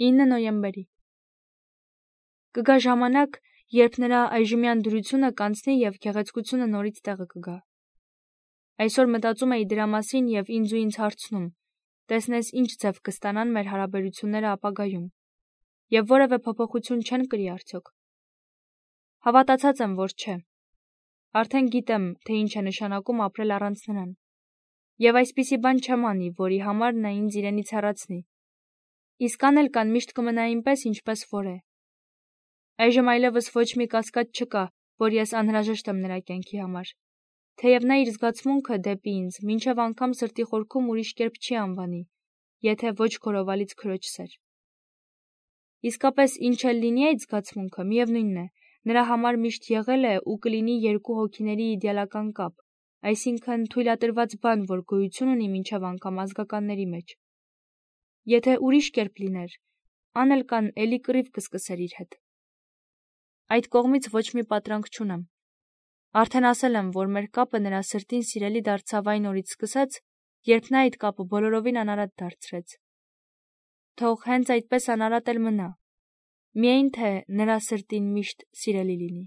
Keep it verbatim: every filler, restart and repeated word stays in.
ինը նոյեմբերի։ Կգա ժամանակ, երբ նրա այժմյան դրությունը կանցնի եւ գեղեցկությունը նորից տեղը կգա։ Այսօր մտածում էի դրա մասին եւ ինձ ու ինձ հարցնում. տեսնես ինչ ձև կստանան մեր հարաբերությունները ապագայում, եւ որևէ փոփոխություն չեն կրի արդյոք։ Հավատացած եմ, որ չէ։ Արդեն գիտեմ, թե ինչ է նշանակում ապրել առանց նրան։ Եվ այսպիսի բան չեմ անի, որի համար նա ինձ իրենից հեռացնի։ Իսկ անել կան միշտ կմնա այնպես, ինչպես որ է։ Այժմ այլևս ոչ մի կասկած չկա, որ ես անհրաժեշտ եմ նրա կյանքի համար։ Թեև նա իր զգացմունքը դեպի ինձ մինչև անգամ սրտի խորքում ուրիշ կերպ չի անվանի, եթե ոչ քորովալից քրոջ սեր։ Իսկապես ինչ էլ լինի այդ զգացմունքը, միևնույնն է, նրա համար միշտ եղել է ու կլինի երկու հոգիների իդեալական կապ, այսինքն թույլատրված բան, որ գոյություն ունի մինչև անգամ ազգականների մեջ։ Եթե ուրիշ կերպ լիներ, Անելկան էլի կռիվ կսկսեր իր հետ։ Այդ կողմից ոչ մի պատրանք չունեմ։ Արդեն ասել եմ, որ մեր կապը նրա սրտին սիրելի դարձավ այն օրից սկսած, երբ նա այդ կապը բոլորովին անարատ դարձրեց։ Թող հենց այդպես անարատ էլ մնա, միայն թե նրա սրտին միշտ սիրելի լինի։